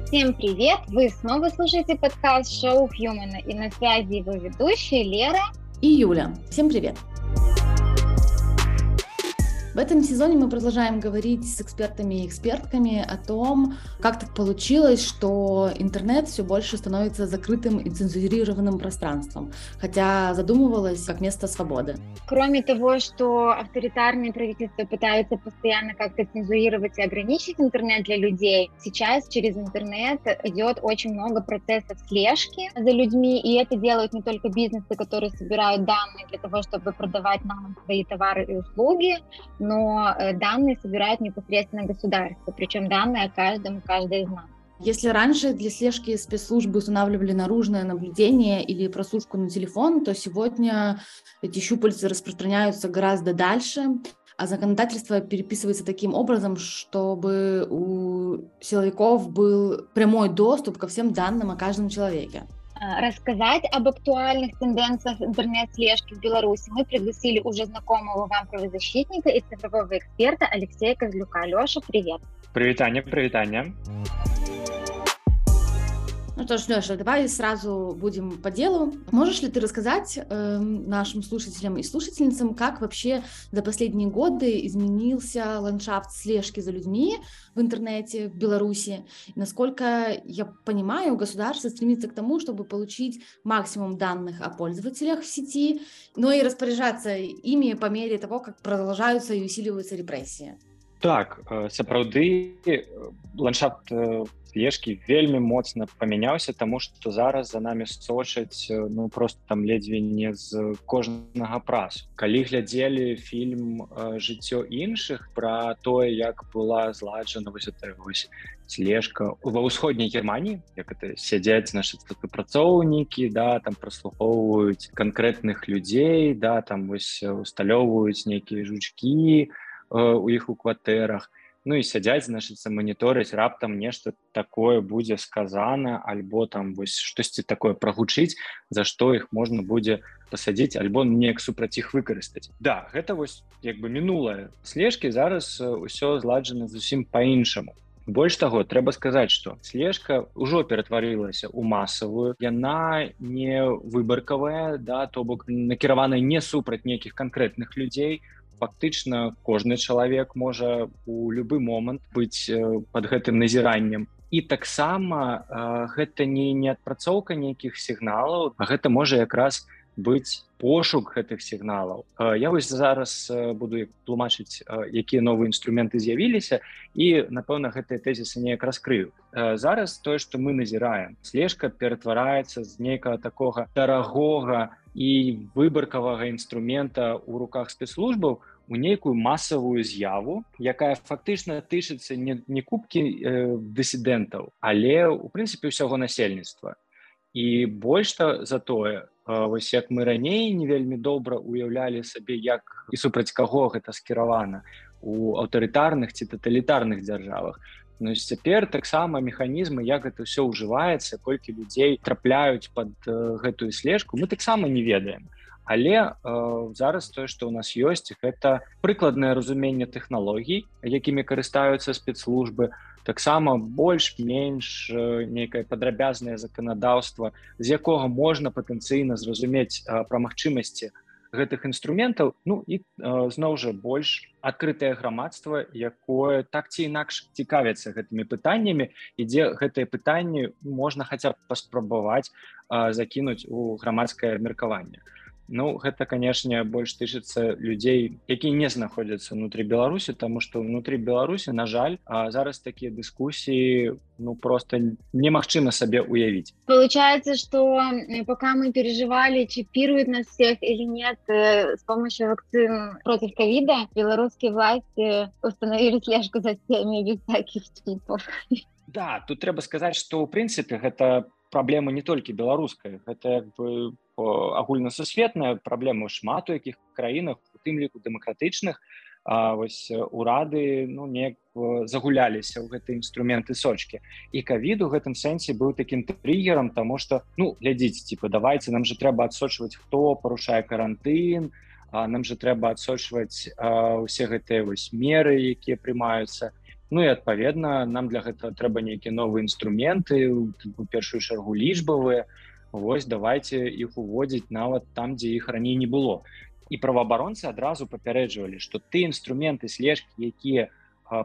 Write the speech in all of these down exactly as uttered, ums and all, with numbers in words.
Всем привет! Вы снова слушаете подкаст «Шоу Хьюмана», и на связи его ведущие Лера и Юля. Всем привет! В этом сезоне мы продолжаем говорить с экспертами и экспертками о том, как так получилось, что интернет все больше становится закрытым и цензурированным пространством, хотя задумывалось как место свободы. Кроме того, что авторитарные правительства пытаются постоянно как-то цензурировать и ограничить интернет для людей, сейчас через интернет идет очень много процессов слежки за людьми, и это делают не только бизнесы, которые собирают данные для того, чтобы продавать нам свои товары и услуги, но данные собирают непосредственно государство, причем данные о каждом и каждой из нас. Если раньше для слежки спецслужбы устанавливали наружное наблюдение или прослушку на телефон, то сегодня эти щупальца распространяются гораздо дальше, а законодательство переписывается таким образом, чтобы у силовиков был прямой доступ ко всем данным о каждом человеке. Рассказать об актуальных тенденциях интернет-слежки в Беларуси мы пригласили уже знакомого вам правозащитника и цифрового эксперта Алексея Козлюка. Леша, привет! Привитание, привитание! Ну что ж, Леша, давай сразу будем по делу. Можешь ли ты рассказать э, нашим слушателям и слушательницам, как вообще за последние годы изменился ландшафт слежки за людьми в интернете в Беларуси? Насколько я понимаю, государство стремится к тому, чтобы получить максимум данных о пользователях в сети, но и распоряжаться ими по мере того, как продолжаются и усиливаются репрессии. Так, сапраўды ландшафт слежкі вельмі моцна памяняўся, таму што зараз за намі сочаць ну просто там ледзьве не з кожнага прасу. Калі глядзелі фільм «Жыццё іншых» пра тое, як была зладжана вось эта вось слежка ва ўсходняй Германіі, як это сядзяць нашы супрацоўнікі, да, там праслухоўваюць канкрэтных людзей, да, там вось усталёўваюць нейкія жучкі у іх у кватэрах, ну і сядзяць, значыцца, маніторыць, раптам нешта такое будзе сказана, альбо там вось штосьці такое прагучыць, за што іх можна будзе пасадзіць, альбо неяк супраць іх выкарыстаць. Да, гэта вось як бы мінулае слежкі, зараз усё зладжана зусім па-іншаму. Больш таго, трэба сказаць, што слежка ўжо ператварылася ў масавую, яна не выбаркавая, да, то бок накіраваная не супраць нейкіх канкрэтных людзей. Фактычна кожны чалавек можа у любы момант быць пад гэтым назіраннем. І таксама гэта не, не адпрацоўка нейкіх сігналаў, а гэта можа якраз быць пошук гэтых сігналаў. Я вось зараз буду тлумачыць, якія новыя інструменты з'явіліся, і, напэўна, гэтыя тэзісы неяк раскрыю. Зараз тое, што мы назіраем, слежка ператвараецца з нейкага такога дарагога і выбаркавага інструмента ў руках спецслужбаў у нейкую масавую з'яву, якая фактычна тычыцца не, не купкі э, дысідэнтаў, але, у прынцыпе, ўсяго насельніцтва. І больш за тое, вось як мы раней не вельмі добра уяўлялі сабе, як і супраць каго гэта скіравана у аўтарытарных ці таталітарных дзяржавах. Ну, цяпер таксама механізмы, як гэта ўсё ўжываецца, колькі людзей трапляюць пад э, гэтую слежку, мы таксама не ведаем. Але э, зараз тое, што ў нас ёсць, гэта прыкладнае разуменне тэхналогій, якімі карыстаюцца спецслужбы, таксама больш-менш э, нейкае падрабязнае заканадаўства, з якога можна патэнцыйна зразумець э, пра магчымасці гэтых інструментаў, ну і э, зноў жа больш адкрытае грамадства, якое так ці інакш цікавіцца гэтымі пытаннямі, і дзе гэтыя пытанні можна хаця б паспрабаваць э, закінуць у грамадскае меркаванне. Ну, гэта, канешне, больш тычыцца людзей, якія не знаходзяцца ўнутры Беларусі, таму што ўнутры Беларусі, на жаль, зараз такія дыскусіі ну, просто немагчыма сабе уявіць. Получается, что пока мы переживали, чипируют нас всех или нет с помощью вакцин против ковида, белорусские власти установили слежку за всеми без всяких чипов. Да, тут трэба сказаць, што, ў прынцыпе, гэта праблема не толькі беларуская, гэта як бы агульнасусветная праблема ў шмат у якіх краінах, у тым ліку дэмакратычных, а вось урады ну, неяк загуляліся ў гэтыя інструменты сочкі. І ковід у гэтым сэнсе быў такім триггером, таму што, ну, глядзіце, типа, давайте, нам же трэба адсочваць, хто парушае карантын, нам же трэба адсочваць усе гэтыя вось меры, якія прымаюцца. Ну і адпаведна нам для гэтага трэба нейкія новыя інструменты, у першую чаргу лічбавыя. Вось давайте іх уводзіць нават там, дзе іх раней не было. І праваабаронцы адразу папярэджвалі, што ты інструменты слежкі, якія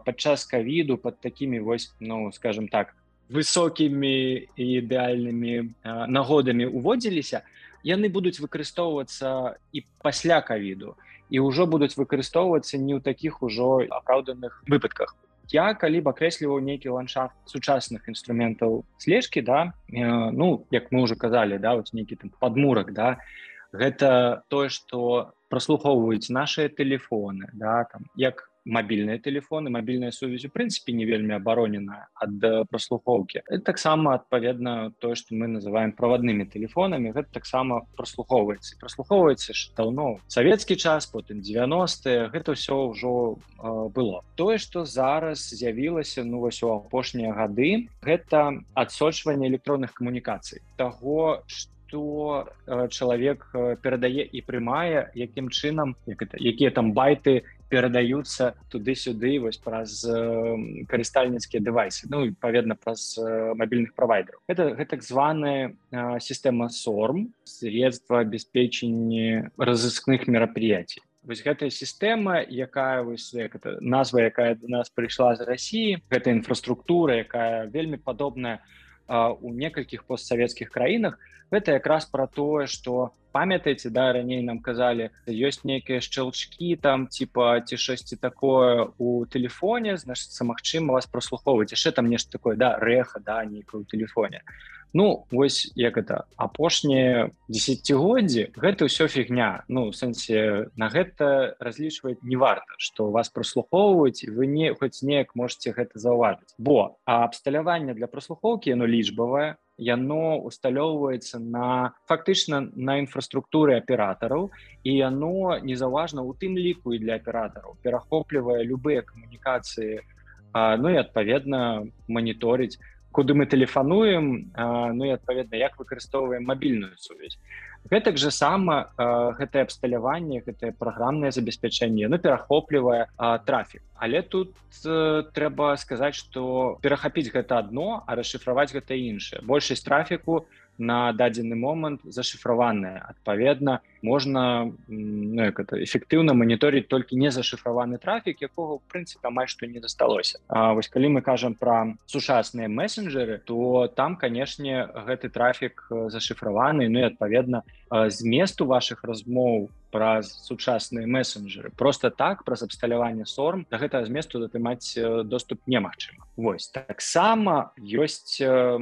падчас ковіду пад такімі вось, ну скажем так, высокімі і ідэальнымі нагодамі уводзіліся, яны будуць выкарыстоўвацца і пасля ковіду, і ўжо будуць выкарыстоўвацца не ў такіх ужо апраўданых выпадках. Я калі б акрэсліваў нейкі ландшафт сучасных інструментаў слежкі, да, э, ну, як мы ўжо казалі, да, вот нейкі там падмурак, да, гэта тое, што праслухоўваюць нашыя тэлефоны, да, там, як мабільныя тэлефоны, мабільная сувязь у прынцыпе не вельмі абароненая ад праслухоўкі. Это таксама адпаведна тое, што мы называем праваднымі тэлефонамі, гэта таксама праслухоўваецца. Праслухоўваецца ж даўно савецкі час, потым дзевяностыя, гэта ўсё ўжо э, было. Тое, што зараз з'явілася, ну вось у апошнія гады, гэта адсочванне электронных камунікацый. Таго, што э, чалавек перадае і прымае, якім чынам, як это, якія там байты перадаюцца туды-сюды вось праз э, карыстальніцкія дэвайсы, ну і паведна праз э, мабільных правайдераў. Это, гэта так званая э, сістэма сорм, средства обеспечения разыскных мерапрыятий. Вось гэтая сістэма, якая вось, як это, назва, якая до нас прыйшла з Расіі, гэта інфраструктура, якая вельмі падобная э, у некалькіх постсавецкіх краінах, гэта якраз пра тое, што памятаеце, да, раней нам казалі, ёсць нейкія шчелчкі там, типа, ці шосьці такое у тэлефоне, значыцца, магчыма вас праслухоўваць. Яшчэ там нешта такое, да, рэха, да, нейкае ў тэлефоне. Ну, вось, як это, апошнія дзесяцігоддзі, гэта ўсё фігня. Ну, у сэнсе, на гэта разлічваць не варта, што вас праслухоўваюць, і вы не, хоць неяк можете гэта заўважыць. Бо абсталяванне для праслухоўкі, яно лічбавае, яно усталёўваецца на, фактычна, на інфраструктуры аператараў, і яно незаўважна у тым ліку і для аператараў, перахоплівае любыя камунікацыі, а, ну і адпаведна маніторыць, куды мы тэлефануем, а, ну і адпаведна, як выкарыстоўваем мабільную сувязь. Гэтак жа сама а, гэтае абсталяванне, гэтае праграмнае забеспячэнне, яно перахоплівае а, трафік. Але тут э, трэба сказаць, што перахапіць гэта адно, а расшыфраваць гэта іншае. Большасць трафіку на дадзены момант зашыфраваная. Адпаведна, можна, ну, як это, эфектыўна маніторыць толькі незашыфраваны трафік, якога, ў прынцыпе, амаль што не засталося. А вось калі мы кажам пра сучасныя месенджеры, то там, канешне, гэты трафік зашыфраваны, ну і адпаведна, зместу вашых размоў праз сучасныя месенджеры. Просто так, праз абсталяванне сорм, да гэтага зместу атрымаць доступ немагчыма. Вось, таксама ёсць э,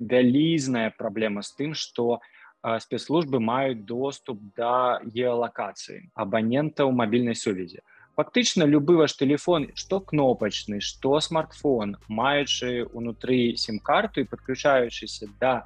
вялізная праблема з тым, што э, спецслужбы маюць доступ да геалакацыі абанентаў мабільнай сувязі. Фактычна, любы ваш тэлефон, што кнопачны, што смартфон, маючы ўнутры сім-карту і падключаючыся да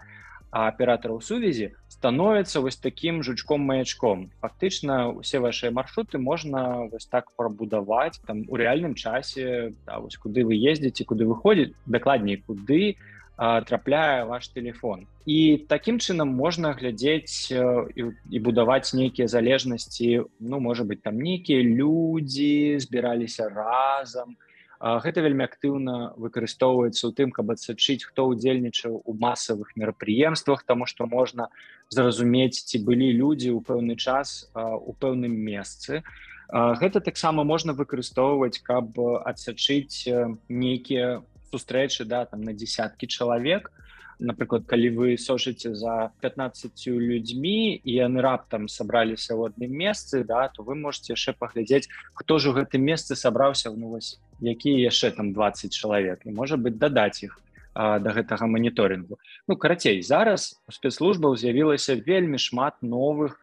аператараў сувязі, становіцца вось такім жучком-маячком. Фактычна, усе вашыя маршруты можна вось так прабудаваць там у рэальным часе, да, вось куды вы ездзіце, куды вы ходзіце, дакладней, куды а, трапляе ваш тэлефон. І такім чынам можна глядзець а, і, і будаваць нейкія залежнасці, ну, можа быць, там нейкія людзі збіраліся разам. Гэта вельмі актыўна выкарыстоўваецца ў тым, каб адсачыць, хто ўдзельнічаў у масавых мерапрыемствах, таму што можна зразумець, ці былі людзі ў пэўны час у пэўным месцы. Гэта таксама можна выкарыстоўваць, каб адсачыць нейкія сустрэчы, да, там, на дзесяткі чалавек. Напрыклад, калі вы сочыце за пятнаццаццю людзьмі і яны раптам сабраліся ў адным месцы, да, то вы можете яшчэ паглядзець, хто ж у гэтым месцы сабраўся, ну вось, якія яшчэ там дваццаць чалавек, і, можа быць, дадаць іх а, да гэтага маніторынгу. Ну, карацей, зараз у спецслужбаў з'явілася вельмі шмат новых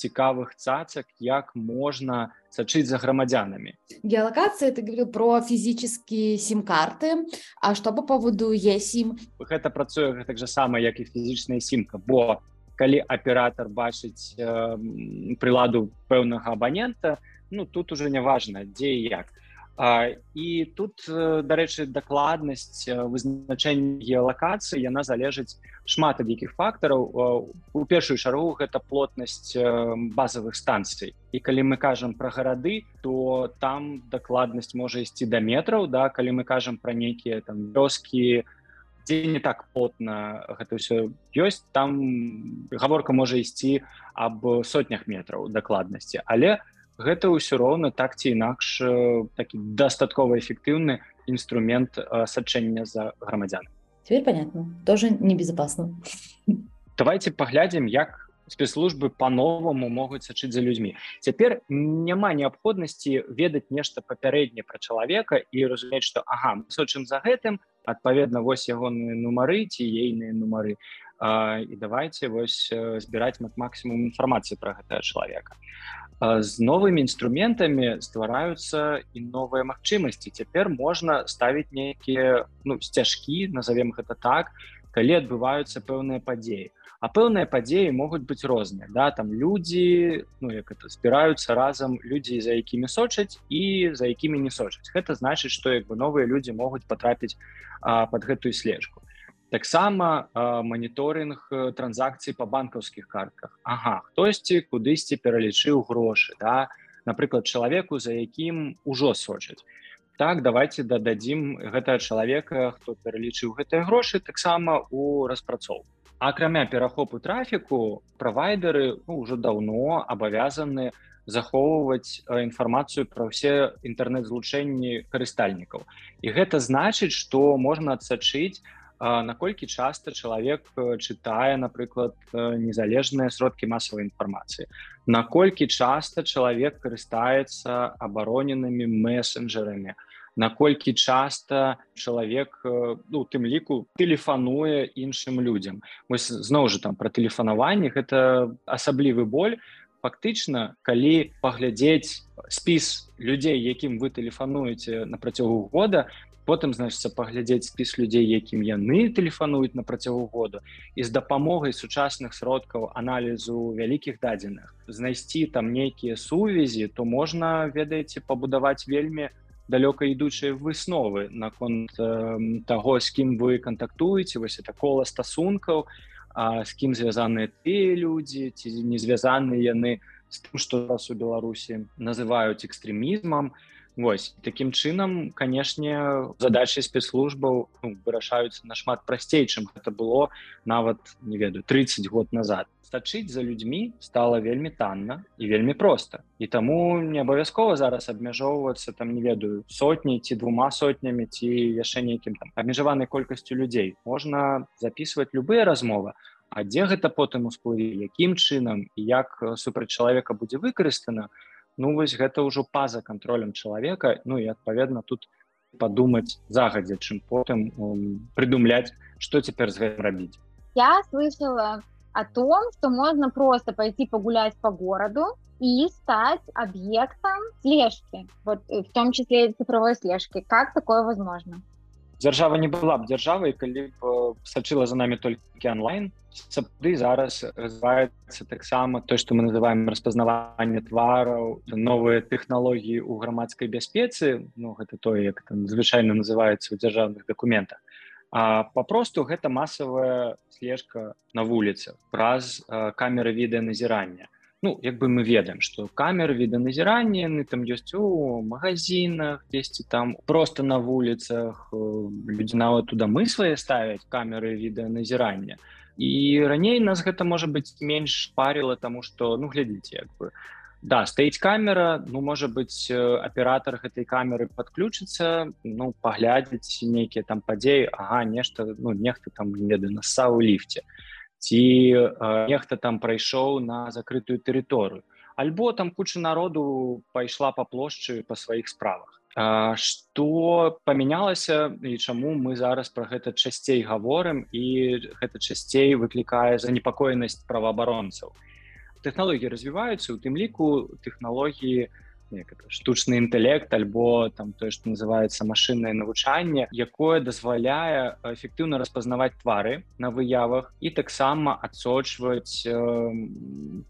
цікавых цацак, як можна сачыць за грамадзянамі. Геолокация, ты говорил про физические сим-карты, а что по поводу eSIM? Гэта працуе так же сама, як і фізічная сімка, бо калі аператор бачыць э, прыладу пэўнага абанента, ну, тут уже не важна, дзе і як. І тут, дарэчы, дакладнасць вызначэння геалакацыі, яна залежыць шмат ад якіх фактараў. У першую чаргу гэта плотнасць базавых станцый. І калі мы кажам пра гарады, то там дакладнасць можа ісці да метраў, да? Калі мы кажам пра нейкія там вёскі, дзе не так плотна гэта ўсё ёсць, там гаворка можа ісці аб сотнях метраў дакладнасці, але гэта ўсё роўна так ці інакш такі дастаткова эфектыўны інструмент сачэння за грамадзянамі. Теперь понятно. Тоже небезопасно. Давайте паглядзім, як спецслужбы па-новаму могуць сачыць за людзьмі. Цяпер няма неабходнасці ведаць нешта папярэдне пра чалавека і разумець, што ага, мы сочым за гэтым, адпаведна, вось ягоныя нумары ці ейныя нумары. І давайте вось збіраць максімум інфармацыі пра гэтага чалавека. З новымі інструментамі ствараюцца і новыя магчымасці. Цяпер можна ставіць нейкія ну, сцяжкі, назовем гэта так, калі адбываюцца пэўныя падзеі. А пэўныя падзеі могуць быць розныя. Да? Там людзі ну, як это, збіраюцца разам людзі, за якімі сочаць і за якімі не сочаць. Гэта значыць, што як бы, новыя людзі могуць патрапіць а, пад гэтую слежку. Таксама э, маніторинг транзакцый па банкаўскіх картках. Ага, хтосьці кудысьці пералічыў грошы, да? Напрыклад, чалавеку, за якім ужо сочаць. Так, давайте дададзім гэтага чалавека, хто пералічыў гэтыя грошы, таксама у распрацоўку. Акрамя перахопу трафіку, правайдеры ну, ўжо даўно абавязаны захоўваць інфармацыю пра ўсе інтэрнэт-злучэнні карыстальнікаў. І гэта значыць, што можна адсачыць, наколькі часта чалавек чытае, напрыклад, незалежныя сродкі масавай інфармацыі, наколькі часта чалавек карыстаецца абароненымі месенджерамі, наколькі часта чалавек, ну, у тым ліку, тэлефануе іншым людзям. Вось зноў жа там пра тэлефанаванне, гэта асаблівы боль. Фактычна, калі паглядзець спіс людзей, якім вы тэлефануеце на працягу года, потым, значыцца, паглядзець спіс людзей, якім яны тэлефануюць на працягу году, і з дапамогай сучасных сродкаў аналізу вялікіх дадзеных знайсці там нейкія сувязі, то можна, ведаеце, пабудаваць вельмі далёка ідучыя высновы наконт э, таго, з кім вы кантактуеце, вось это кола стасункаў, а, з кім звязаныя тыя людзі, ці не звязаныя яны з тым, што зараз у Беларусі называюць экстрэмізмам. Вось, такім чынам, канешне, задачы спецслужбаў ну, вырашаюцца нашмат прасцей, чым гэта было нават, не ведаю, трыццаць год назад. Сачыць за людзьмі стала вельмі танна і вельмі проста. І таму не абавязкова зараз абмяжоўвацца, там, не ведаю, сотняй ці двума сотнямі, ці яшчэ нейкім там абмежаванай колькасцю людзей. Можна запісваць любыя размовы, а дзе гэта потым усплыве, якім чынам і як супраць чалавека будзе выкарыстана, ну, вось гэта ўжо па-за кантролем чалавека, ну і, адпаведна, тут падумаць загадзя, чым потым um, придумлять, что теперь с этим робить. Я слышала о том, что можно просто пойти погулять по городу и стать объектом слежки, вот в том числе и цифровой слежки. Как такое возможно? Дзяржава не была б дзяржавай, калі б сачыла за нами толькі онлайн. Сапраўды зараз развіваецца таксама то, што мы называем распазнаванне твараў, новыя тэхналогіі ў грамадскай бяспецы, ну гэта тое, як там звычайна называецца ў дзяржаўных дакументах. А папросту гэта масавая слежка на вуліцах праз а, камеры відэаназірання. Ну, як бы мы ведаем, што камеры відэаназірання, яны там ёсць у магазинах, дзесьці там просто на вуліцах, людзі нават туды мы свае ставяць камеры відэаназірання. І раней нас гэта, можа быць, менш паріла, таму што, ну, глядзіце, як бы, да, стаіць камера, ну, можа быць, аператор гэтай камеры падключыцца, ну, паглядзець нейкія там падзеі, ага, нешта, ну, нехта там, не ведаю, нассаў у ліфце. Ці э, нехта там прайшоў на закрытую тэрыторыю. Альбо там куча народу пайшла па плошчы па сваіх справах. А, што памянялася і чаму мы зараз пра гэта часцей гаворым і гэта часцей выклікае занепакоенасць праваабаронцаў. Тэхналогіі развіваюцца, у тым ліку тэхналогіі штучны інтэлект альбо там тое, што называецца машыннае навучанне, якое дазваляе эфектыўна распазнаваць твары на выявах і таксама адсочваць э,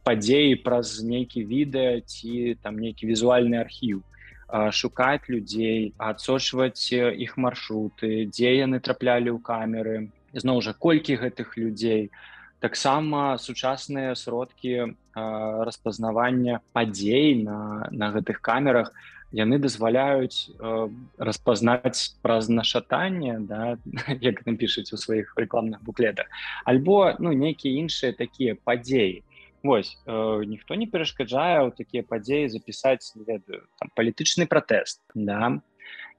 падзеі праз нейкі відэа ці там нейкі візуальны архіў. шукаць людзей, адсочваць іх маршруты, дзе яны траплялі ў камеры, зноў жа, колькі гэтых людзей. Таксама сучасныя сродкі распазнавання падзей на, на гэтых камерах, яны дазваляюць э, распазнаць праз нашатанне, да, як там пішуць у сваіх рэкламных буклетах, альбо ну, нейкія іншыя такія падзеі. Вось, э, ніхто не перашкаджае ў такія падзеі запісаць, не ведаю, там, палітычны пратэст, да?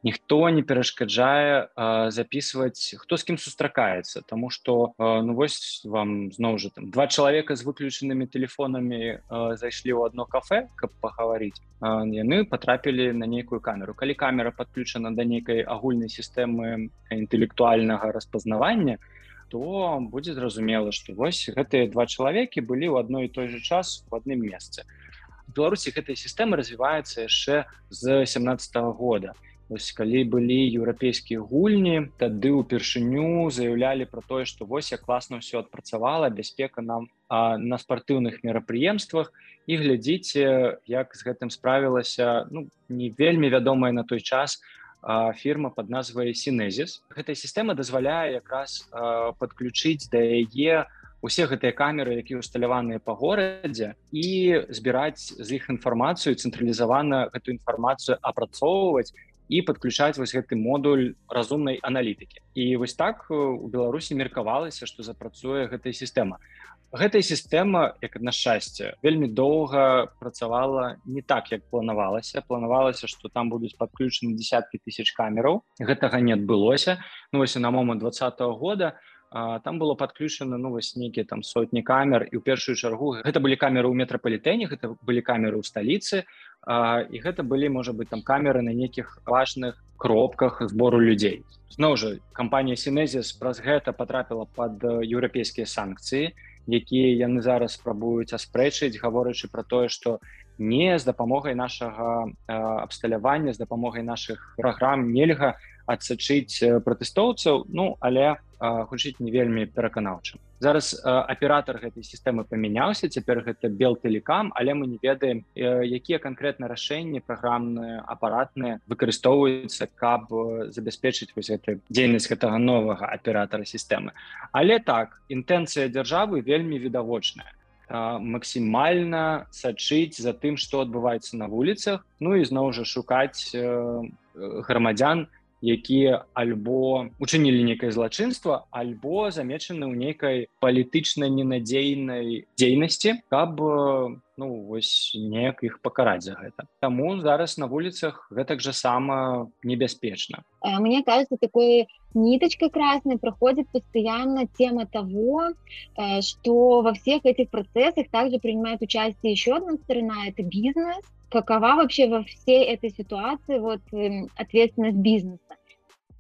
Ніхто не перашкаджае э, записываць, хто з кім сустракаецца, таму што э, ну вось вам зноў жа там два чалавека з выключанымі тэлефонамі э, зайшлі ў адно кафе, каб пагаварыць, э, яны патрапілі на нейкую камеру. Калі камера падключана да нейкай агульнай сістэмы інтэлектуальнага распазнавання, то будзе зразумела, што вось гэтыя два чалавекі былі ў адной і той жа час у адным месцы. У Беларусі гэтая сістэма развіваецца яшчэ з сямнаццатага года. Вось, калі былі еўрапейскія гульні, тады ўпершыню заяўлялі пра тое, што вось як класна ўсё адпрацавала, бяспека нам а, на спартыўных мерапрыемствах, і глядзіце, як з гэтым справілася ну, не вельмі вядомая на той час а, фірма пад назвай Synesis. Гэтая сістэма дазваляе якраз а, падключыць да яе усе гэтыя камеры, якія усталяваныя па горадзе, і збіраць з іх інфармацыю, цэнтралізавана гэту інфармацыю апрацоўваць, і падключаць вось гэты модуль разумнай аналітыкі. І вось так у Беларусі меркавалася, што запрацуе гэтая сістэма. Гэтая сістэма, як на шчасце, вельмі доўга працавала не так, як планавалася. Планавалася, што там будуць падключаны десяткі тысяч камераў. Гэтага не адбылося. Ну вось на момант двадцатага года там было падключана ну вось нейкія там сотні камер, і ў першую чаргу гэта былі камеры ў метрапалітэне, гэта былі камеры ў сталіцы, а, і гэта былі, можа быць, там камеры на нейкіх важных кропках збору людзей. Зноў жа, кампанія Synesis праз гэта патрапіла пад еўрапейскія санкцыі, якія яны зараз спрабуюць аспрэчыць, гаворачы пра тое, што не з дапамогай нашага а, абсталявання, з дапамогай нашых праграм нельга адсачыць пратэстоўцаў, ну, але гучыць не вельмі пераканаўчым. Зараз а, аператар гэтай сістэмы памяняўся, цяпер гэта Белтэлекам, але мы не ведаем, а, якія канкрэтна рашэнні праграмныя, апаратныя выкарыстоўваюцца, каб забяспечыць вось гэту дзейнасць гэтага новага аператара сістэмы. Але так, інтэнцыя дзяржавы вельмі відавочная. А, максімальна сачыць за тым, што адбываецца на вуліцах, ну і зноў жа шукаць а, грамадзян, якія альбо учынілі нейкае злачынства, альбо замечаны ў нейкай палітычна ненадзейнай дзейнасці, каб ну, вось, неяк іх пакараць за гэта. Таму зараз на вуліцах гэтак жа сама небяспечна. Мне кажется, такой ниточкой красной проходит постоянно тема того, что во всех этих процессах также принимает участие еще одна сторона, это бизнес. Какова вообще во всей этой ситуации вот, ответственность бизнеса?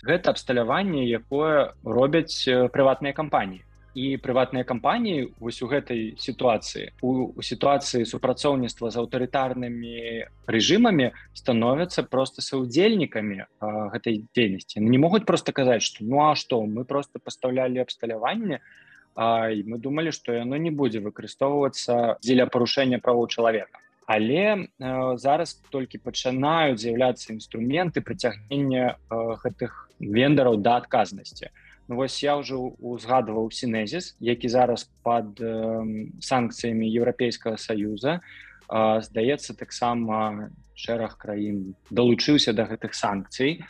Гэта абсталяванне, якое робяць прыватныя кампаніі. І прыватныя кампаніі вось у гэтай сітуацыі, у, у сітуацыі супрацоўніцтва з аўтарытарнымі рэжымамі становяцца проста саўдзельнікамі а, гэтай дзейнасці. Не могуць проста казаць, што ну а што, мы проста пастаўлялі абсталяванне, а, і мы думалі, што яно не будзе выкарыстоўвацца дзеля парушэння правоў чалавека. Але э, зараз толькі пачынаюць з'яўляцца інструменты прыцягнення э, гэтых вендараў да адказнасці. Ну, вось я ўжо узгадваў Synesis, які зараз пад э, санкцыямі Еўрапейскага Саюза. Э, здаецца, таксама шэраг краін далучыўся да гэтых санкцый.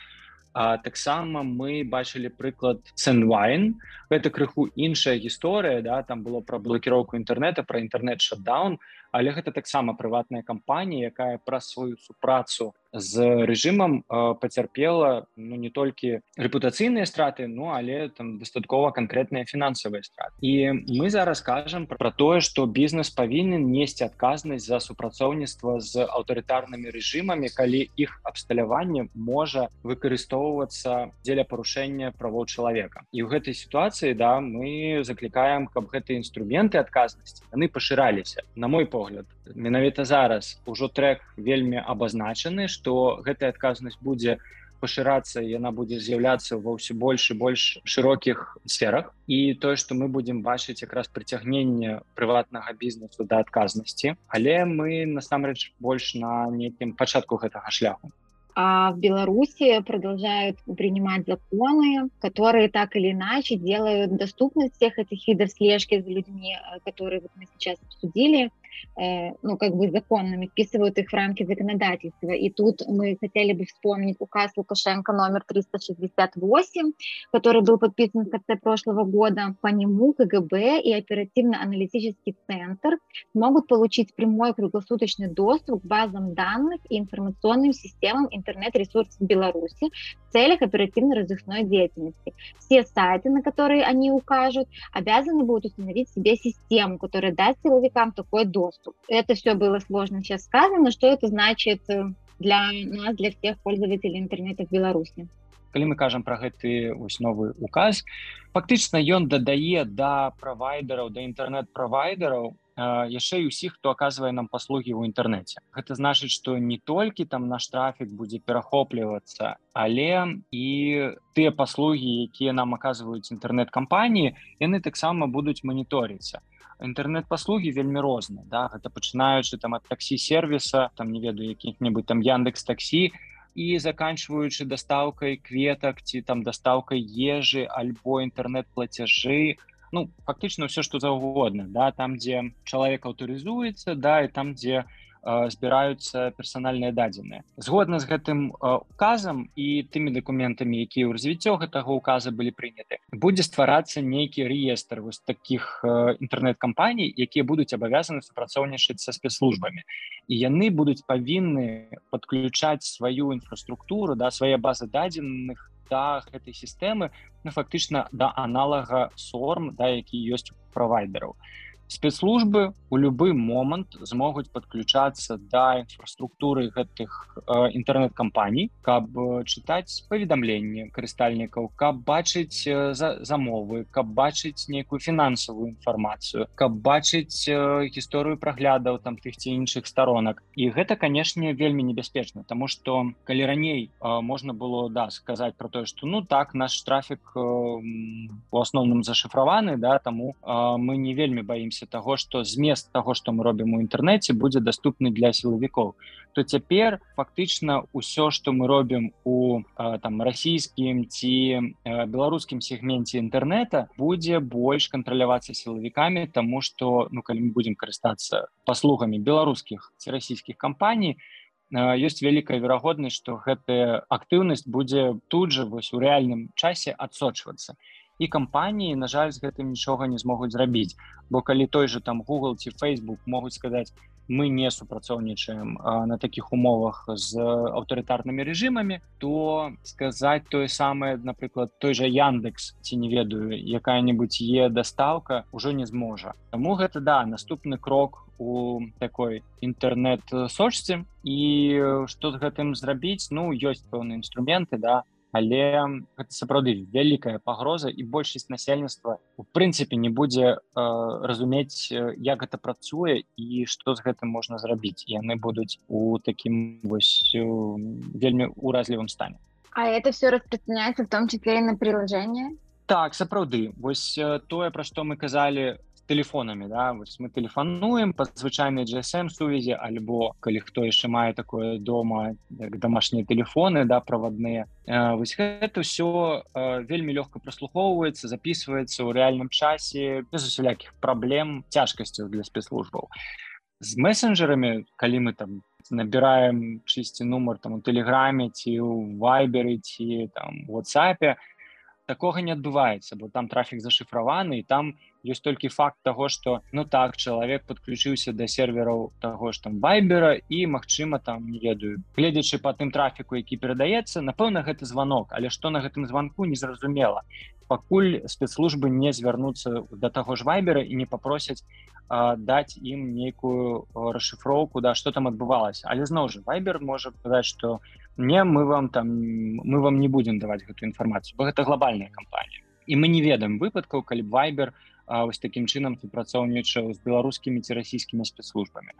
А, таксама мы бачылі прыклад Sendwine. Гэта крыху іншая гісторыя, да? Там было пра блокіроўку інтэрнэта, пра інтэрнэт-шатдаун, але гэта таксама прыватная кампанія, якая праз сваю супрацу з рэжымам э, пацярпела ну, не толькі рэпутацыйныя страты, ну, але там дастаткова канкрэтныя фінансавыя страты. І мы зараз кажам пра тое, што бізнес павінен несці адказнасць за супрацоўніцтва з аўтарытарнымі рэжымамі, калі іх абсталяванне можа выкарыстоўвацца дзеля парушэння правоў чалавека. І ў гэтай сітуацыі да, мы заклікаем, каб гэтыя інструменты адказнасці яны пашыраліся. На мой погляд, менавіта зараз ужо трэк вельмі абазначаны, што гэтая адказнасць будзе пашырацца, яна будзе з'яўляцца ва ўсё больш і больш шырокіх сферах. І тое, што мы будзем бачыць якраз прыцягненне прыватнага бізнесу да адказнасці, але мы насамрэч больш на нейкім пачатку гэтага шляху. А в Беларуси продолжают принимать законы, которые так или иначе делают доступность всех этих видов слежки за людьми, которые вот мы сейчас обсудили, э, ну, как бы законными, вписывают их в рамки законодательства. И тут мы хотели бы вспомнить указ Лукашенко номер триста шестьдесят восемь, который был подписан в конце прошлого года. По нему КГБ и оперативно-аналитический центр могут получить прямой круглосуточный доступ к базам данных и информационным системам интернет-ресурсов Беларуси в целях оперативно-розыскной деятельности. Все сайты, на которые они укажут, обязаны будут установить себе систему, которая даст силовикам такой доступ. Это все было сложно сейчас сказано. Что это значит для нас, для всех пользователей интернета в Беларуси? Калі мы кажам пра гэты вось новы указ, фактычна ён дадае да правайдераў, да інтэрнэт-правайдераў яшчэ і ўсіх, хто аказвае нам паслугі ў інтэрнэце. Гэта значыць, што не толькі там наш трафік будзе перахоплівацца, але і тыя паслугі, якія нам аказваюць інтэрнэт-кампаніі, яны таксама будуць маніторыцца. Інтэрнэт-паслугі вельмі розныя, да? Гэта пачынаючы там ад таксі-сервіса, там не ведаю, якіх-небудзь там Яндекс.Таксі, і заканчваючы дастаўкай кветак ці там дастаўкай ежы альбо інтэрнэт-плацяжы, ну, фактычна ўсё, што заўгодна, да, там, дзе чалавек аўтарызуецца, да, і там, дзе збіраюцца персанальныя дадзеныя. Згодна з гэтым указам і тымі дакументамі, якія ў развіццё гэтага указа былі прыняты, будзе стварацца нейкі рэестр вось такіх інтэрнэт-кампаній, якія будуць абавязаны супрацоўнічаць са спецслужбамі. І яны будуць павінны падключаць сваю інфраструктуру, да, свае базы дадзеных да гэтай сістэмы, ну, фактычна да аналага сорм, да, які ёсць у правайдераў. Спецслужбы у любы момант змогуць падключацца да інфраструктуры гэтых э, інтэрнэт-кампаній, каб чытаць паведамленні карыстальнікаў, каб бачыць э, за, замовы, каб бачыць нейкую фінансавую інфармацыю, каб бачыць э, гісторыю праглядаў там тых ці іншых сторонак. І гэта, канешне, вельмі небяспечна, таму што калі раней э, можна было, да, сказаць про тое, што ну так, наш трафік э, у асноўным зашыфраваны, да, таму э, мы не вельмі баімся таго, што змест таго, што мы робім у інтэрнэце, будзе даступны для сілавікоў, то цяпер фактычна ўсё, што мы робім у там расійскім ці беларускім сегменце інтэрнэта, будзе больш кантралявацца сілавікамі, таму што, ну, калі мы будзем карыстацца паслугамі беларускіх ці расійскіх кампаній, ёсць вялікая верагоднасць, што гэтая актыўнасць будзе тут жа вось у рэальным часе адсочвацца. І кампаніі, на жаль, з гэтым нічога не змогуць зрабіць. Бо калі той же там Google ці Facebook могуць сказаць, мы не супрацоўнічаем а, на такіх умовах з аўтарытарнымі рэжымамі, то сказаць тое самае, напрыклад, той же Яндекс, ці не ведаю, якая-небудзь е-дастаўка ўжо не зможа. Таму гэта, да, наступны крок у такой інтэрнэт-сочцы. І што з гэтым зрабіць? Ну, ёсць пэўныя інструменты, да, але гэта сапраўды вялікая пагроза, і большасць насельніцтва у прынцыпе не будзе э, разумець, як гэта працуе і што з гэтым можна зрабіць. І яны будуць у такім вось вельмі уразлівым стане. А это все распространяется в том числе и на приложение? Так, сапраўды. Вось тое, пра што мы казалі телефонами, да, вось мы тэлефануем па звычайнай джи эс эм-сувязі, альбо калі хто яшчэ мае такое дома, як домашнія тэлефоны, да, правадныя. Э, вось гэта ўсё э, вельмі лёгка праслухоўваецца, записываецца ў рэальным часе, без усялякіх праблем, цяжкасцяў для спецслужбаў. З месенджерамі, калі мы там набіраем чысці нумар там у Тэлеграме, ці ў Вайберы, ці там у WhatsApp, такога не адбываецца, бо там трафік зашыфраваны, і там ёсць толькі факт таго, што, ну так, чалавек падключыўся да сервераў таго ж там Вайбера, і, магчыма, там, не ведаю, гледзячы па тым трафіку, які перадаецца, напэўна, гэта званок, але што на гэтым званку, незразумела. Пакуль спецслужбы не звярнуцца да таго ж Вайбера і не папросяць а, даць ім нейкую расшыфроўку, да, што там адбывалася. Але зноў жа, Вайбер можа сказаць, што не, мы вам там, мы вам не будзем даваць гэту інфармацыю, бо гэта глобальная кампанія. І мы не ведаем выпадкаў, калі б Вайбер а, вось такім чынам супрацоўнічаў з беларускімі ці расійскімі спецслужбамі.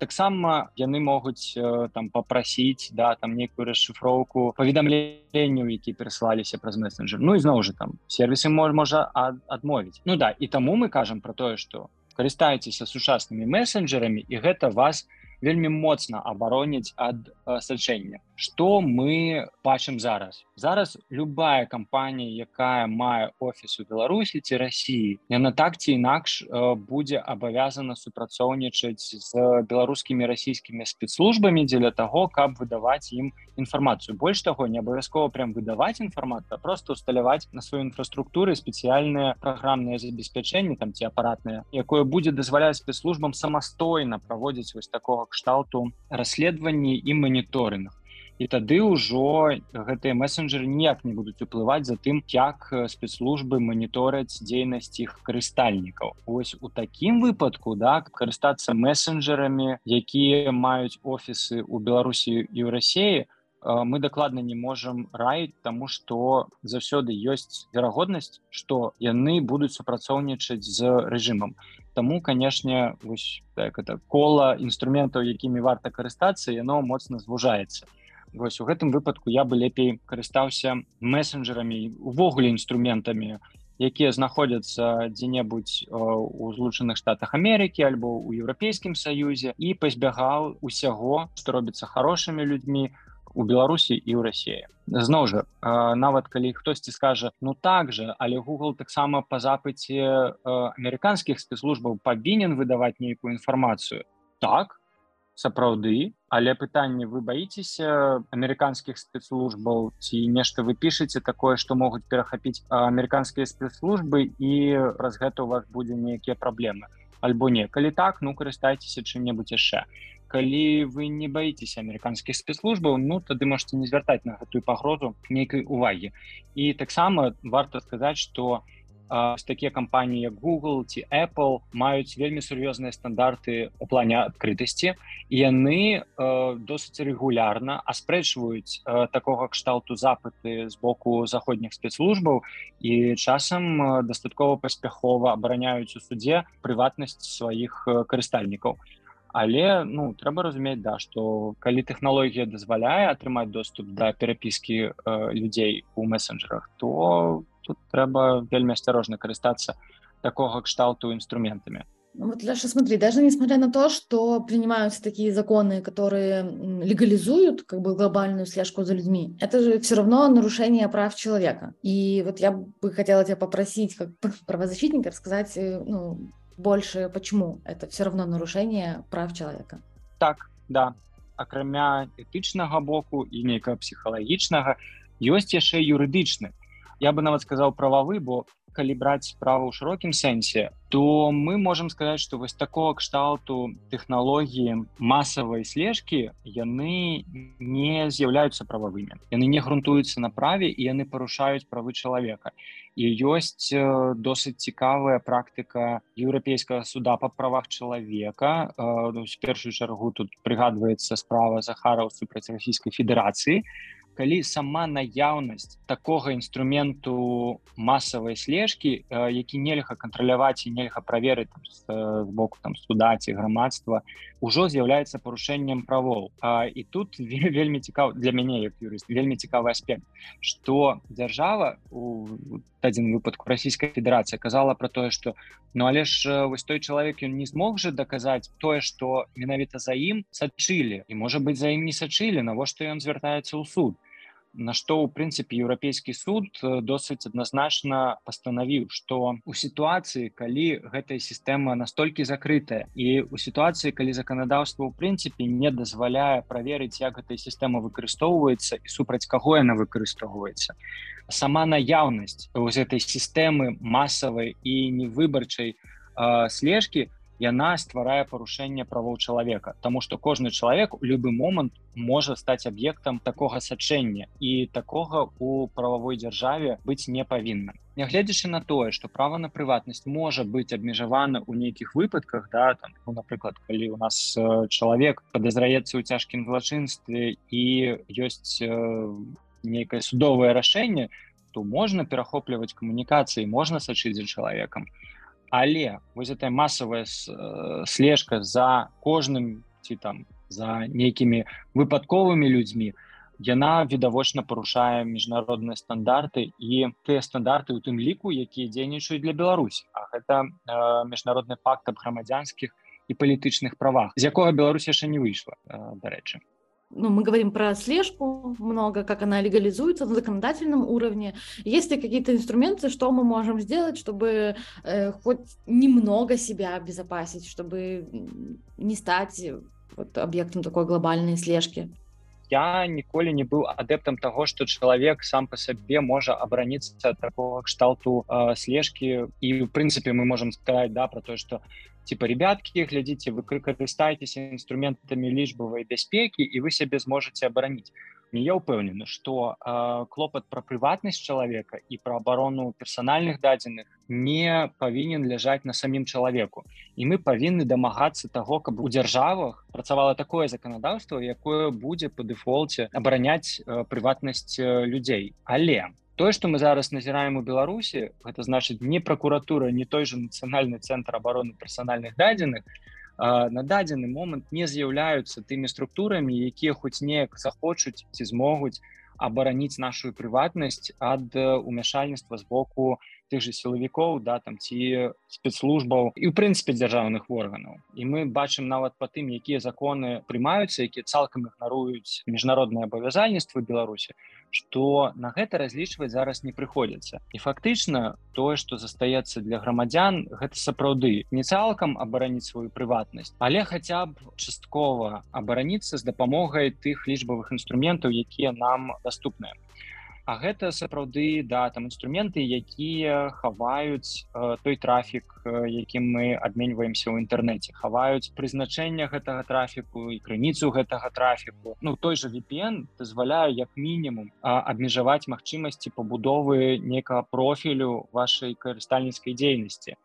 Таксама яны могуць э, там папрасіць, да, там нейкую расшыфроўку паведамленняў, якія перасылаліся праз месенджер. Ну і зноў жа там сервісы мож, можа ад, адмовіць. Ну да, і таму мы кажам пра тое, што карыстайцеся сучаснымі месенджерамі, і гэта вас вельмі моцна абароніць ад сачэння. Што мы бачым зараз? Зараз любая кампанія, якая мае офіс у Беларусі ці Расіі, яна так ці інакш будзе абавязана супрацоўнічаць з беларускімі расійскімі спецслужбамі дзеля таго, каб выдаваць ім інфармацыю. Больш таго, не абавязкова прям выдаваць інфармацыю, а просто усталяваць на сваёй інфраструктуры спецыяльнае праграмнае забеспячэнне там ці апаратнае, якое будзе дазваляць спецслужбам самастойна праводзіць вось такога кшталту расследаванні і маніторынг. І тады ўжо гэтыя месенджеры ніяк не будуць уплываць за тым, як спецслужбы манітораць дзейнасць іх карыстальнікаў. Вось у такім выпадку, да, карыстацца месенджерамі, якія маюць офісы ў Беларусі і ў Расіі, мы дакладна не можам раіць, таму што заўсёды ёсць верагоднасць, што яны будуць супрацоўнічаць з рэжымам. Таму, канешне, вось так, это кола інструментаў, якімі варта карыстацца, яно моцна звужаецца. Вось у гэтым выпадку я бы лепей карыстаўся месенджерамі, увогуле інструментамі, якія знаходзяцца дзе-небудзь у Злучаных Штатах Амерыкі альбо ў Еўрапейскім Саюзе і пазбягаў усяго, што робіцца харошымі людзьмі у Беларусі і ў Расіі. Зноў жа, нават калі хтосьці скажа, ну так жа, але Google таксама па запыце амерыканскіх спецслужбаў павінен выдаваць нейкую інфармацыю. Так, сапраўды, але пытанне, вы баіцеся амерыканскіх спецслужбаў ці нешта вы пішаце такое, што могуць перахапіць амерыканскія спецслужбы і праз гэта у вас будзе нейкія праблемы? Альбо не. Калі так, ну карыстайцеся чым-небудзь яшчэ. Калі вы не баіцеся амерыканскіх спецслужбаў, ну тады можете не звяртаць на гэтую пагрозу нейкай увагі. І таксама варта сказаць, што такія кампаніі як Google ці Apple маюць вельмі сур'ёзныя стандарты ў плане адкрытасці, і яны досыць рэгулярна аспрэчваюць такога кшталту запыты з боку заходніх спецслужбаў і часам дастаткова паспяхова абараняюць у судзе прыватнасць сваіх карыстальнікаў. Але, ну, трэба разумець, да, што калі тэхналогія дазваляе атрымаць доступ да перапіскі э, людзей у месенджерах, то тут трэба вельмі асцярожна карыстацца такога кшталту инструментами. Вот, Леша, смотри, даже несмотря на то, что принимаются такие законы, которые легализуют как бы глобальную слежку за людьми, это же все равно нарушение прав человека. И вот я бы хотела тебя попросить, как правозащитника, рассказать, ну, больше, почему это все равно нарушение прав человека. Так, да. Акрамя этычнага боку і нейкага псіхалагічнага, ёсць яшчэ юрыдычны. Я бы нават сказаў прававы, бо калі браць справу ў шырокім сэнсе, то мы можам сказаць, што вось такого кшталту тэхналогіі масавай слежкі, яны не з'яўляюцца прававымі. Яны не грунтуюцца на праве і яны парушаюць правы чалавека. І ёсць досыць цікавая практыка Еўрапейскага суда па правах чалавека. В першую чаргу тут прыгадваецца справа Захараў супраць Расійскай Федэрацыі, калі сама наяўнасць такога інструменту масавай слежкі, які нельга кантраляваць і нельга праверыць там, з, з боку там, суда ці грамадства, ужо з'яўляецца парушэннем правоў. І тут вельмі цікава, для мяне як юрыст, вельмі цікавы аспект, што дзяржава, у дадзеным выпадку Расійская Федэрацыя, казала пра тое, што ну але ж вось той чалавек, ён не змог жа даказаць тое, што менавіта за ім сачылі, і можа быць за ім не сачылі, навошта ён звяртаецца ў суд. На што, у прынцыпе, Еўрапейскі суд досыць адназначна пастанавіў, што ў сітуацыі, калі гэтая сістэма настолькі закрытая, і ў сітуацыі, калі заканадаўства, ў прынцыпе, не дазваляе праверыць, як гэтая сістэма выкарыстоўваецца і супраць каго яна выкарыстоўваецца, сама наяўнасць вось гэтай сістэмы масавай і невыбарчай э, слежкі, яна стварае парушэнне правоў чалавека, таму што кожны чалавек у любы момант можа стаць аб'ектам такога сачэння, і такога у прававой дзяржаве быць не павінна. Нягледзячы на тое, што права на прыватнасць можа быць абмежавана ў нейкіх выпадках, да, там, ну, напрыклад, калі у нас э, чалавек падазраецца ў цяжкім злачынстве і ёсць э, нейкае судовае рашэнне, то можна перахопліваць камунікацыі, можна сачыць за чалавекам. Але вось гэтая масавая слежка за кожным ці там за нейкімі выпадковымі людзьмі, яна відавочна парушае міжнародныя стандарты і тыя стандарты ў тым ліку, якія дзейнічаюць для Беларусі. А гэта э, міжнародны пакт аб грамадзянскіх і палітычных правах, з якога Беларусь яшчэ не выйшла, да рэчы. Ну, мы говорим про слежку много, как она легализуется на законодательном уровне. Есть ли какие-то инструменты, что мы можем сделать, чтобы э, хоть немного себя обезопасить, чтобы не стать вот, объектом такой глобальной слежки? Я ніколі не быў адэптам таго, што чалавек сам па сабе можа абараніцца ад такого кшталту э, слежкі. І, ў прынцыпе, мы можам сказаць, да, про тое, што типа, ребяткі, глядзіце, вы карыстаецеся інструментамі лічбавай бяспекі, і вы сябе зможаце абараніць. Я ўпэўнены, што э, клопат пра прыватнасць чалавека і пра абарону персанальных дадзеных не павінен ляжаць на самім чалавеку. І мы павінны дамагацца таго, каб у дзяржавах працавала такое заканадаўства, якое будзе па дэфолце абараняць э, прыватнасць э, людзей. Але тое, што мы зараз назіраем у Беларусі, гэта значыць не пракуратура, не той же нацыянальны цэнтр абароны персанальных дадзеных, на дадзены момант не з'яўляюцца тымі структурамі, якія хоць неяк захочуць ці змогуць абараніць нашу прыватнасць ад умяшальніцтва з боку тых же сілавікоў, да, там, ці спецслужбаў і, ў прынцыпе, дзяржаўных органаў. І мы бачым нават па тым, якія законы прымаюцца, якія цалкам ігнаруюць міжнародныя абавязальніцтвы Беларусі, што на гэта разлічваць зараз не прыходзіцца. І фактычна тое, што застаецца для грамадзян, гэта сапраўды не цалкам абараніць сваю прыватнасць, але хаця б часткова абараніцца з дапамогай тых лічбавых інструментаў, якія нам даступныя. А гэта сапраўды, да, там інструменты, якія хаваюць э, той трафік, э, якім мы абменьваемся ў інтэрнэце, хаваюць прызначэнне гэтага трафіку і крыніцу гэтага трафіку. Ну, той же ви пі эн дазваляе як мінімум э, абмежаваць магчымасці пабудовы некага профілю вашай карыстальніцкай дзейнасці.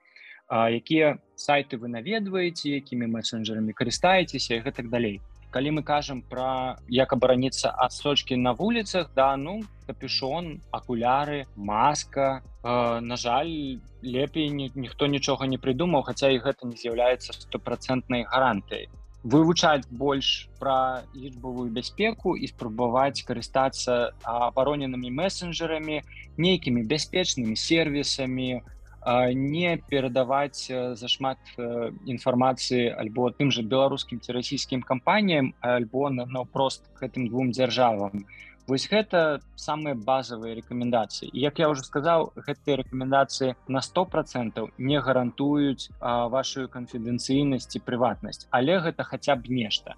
Э, якія сайты вы наведваеце, якімі месенджерамі карыстаецеся і гэтак далей. Калі мы кажам пра як абараніцца ад сочкі на вуліцах, да, ну, капюшон, акуляры, маска. Э, на жаль, лепей ні, ніхто нічога не прыдумаў, хаця і гэта не з'яўляецца стопрацэнтнай гарантыяй. Вывучаць больш пра лічбавую бяспеку і спрабаваць карыстацца абароненымі месенджерамі, нейкімі бяспечнымі сервісамі, не перадаваць зашмат інфармацыі альбо тым же беларускім ці расійскім кампаніям, альбо наўпрост гэтым двум дзяржавам. Вось гэта самыя базавыя рэкамендацыі. І, як я ўжо сказаў, гэтыя рэкамендацыі на сто процентаў не гарантуюць а, вашу канфідэнцыйнасць і прыватнасць, але гэта хаця б нешта.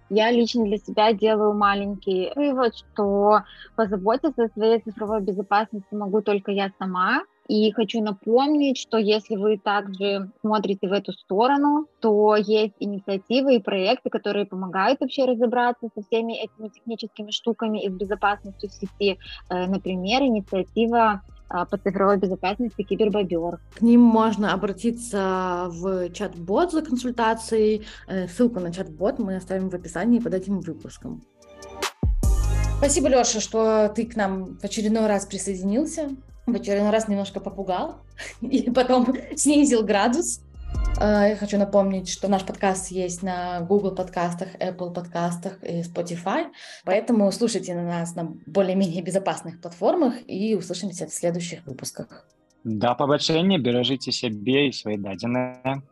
Я лично для себя делаю маленький вывод, что позаботиться о своей цифровой безопасности могу только я сама. И хочу напомнить, что если вы также смотрите в эту сторону, то есть инициативы и проекты, которые помогают вообще разобраться со всеми этими техническими штуками и с безопасностью в сети. Например, инициатива по цифровой безопасности «Кибербобер». К ним можно обратиться в чат-бот за консультацией. Ссылку на чат-бот мы оставим в описании под этим выпуском. Спасибо, Лёша, что ты к нам в очередной раз присоединился. В очередной раз немножко попугал и потом снизил градус. Я хочу напомнить, что наш подкаст есть на Google подкастах, Apple подкастах и Spotify, поэтому слушайте на нас на более-менее безопасных платформах и услышимся в следующих выпусках. Да побачення, бережите себе и свои дадзеныя.